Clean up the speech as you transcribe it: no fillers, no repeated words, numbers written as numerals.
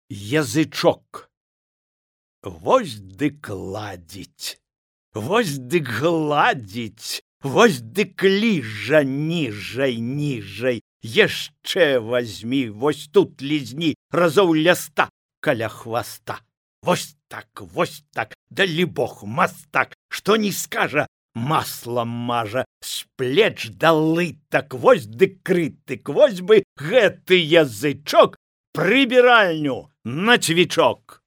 Язычок. Вось дык ладзіць, вось дык гладзіць, вось дык ліжа ніжай. Яшчэ вазьмі, вось тут лізні разоў ля 100 каля хваста. Вось так, далі Бог мастак, што не скажа, маслом мажа, з плеч да лытак, вось дык крытык, вось бы гэты язычок прыбіральню на цвічок.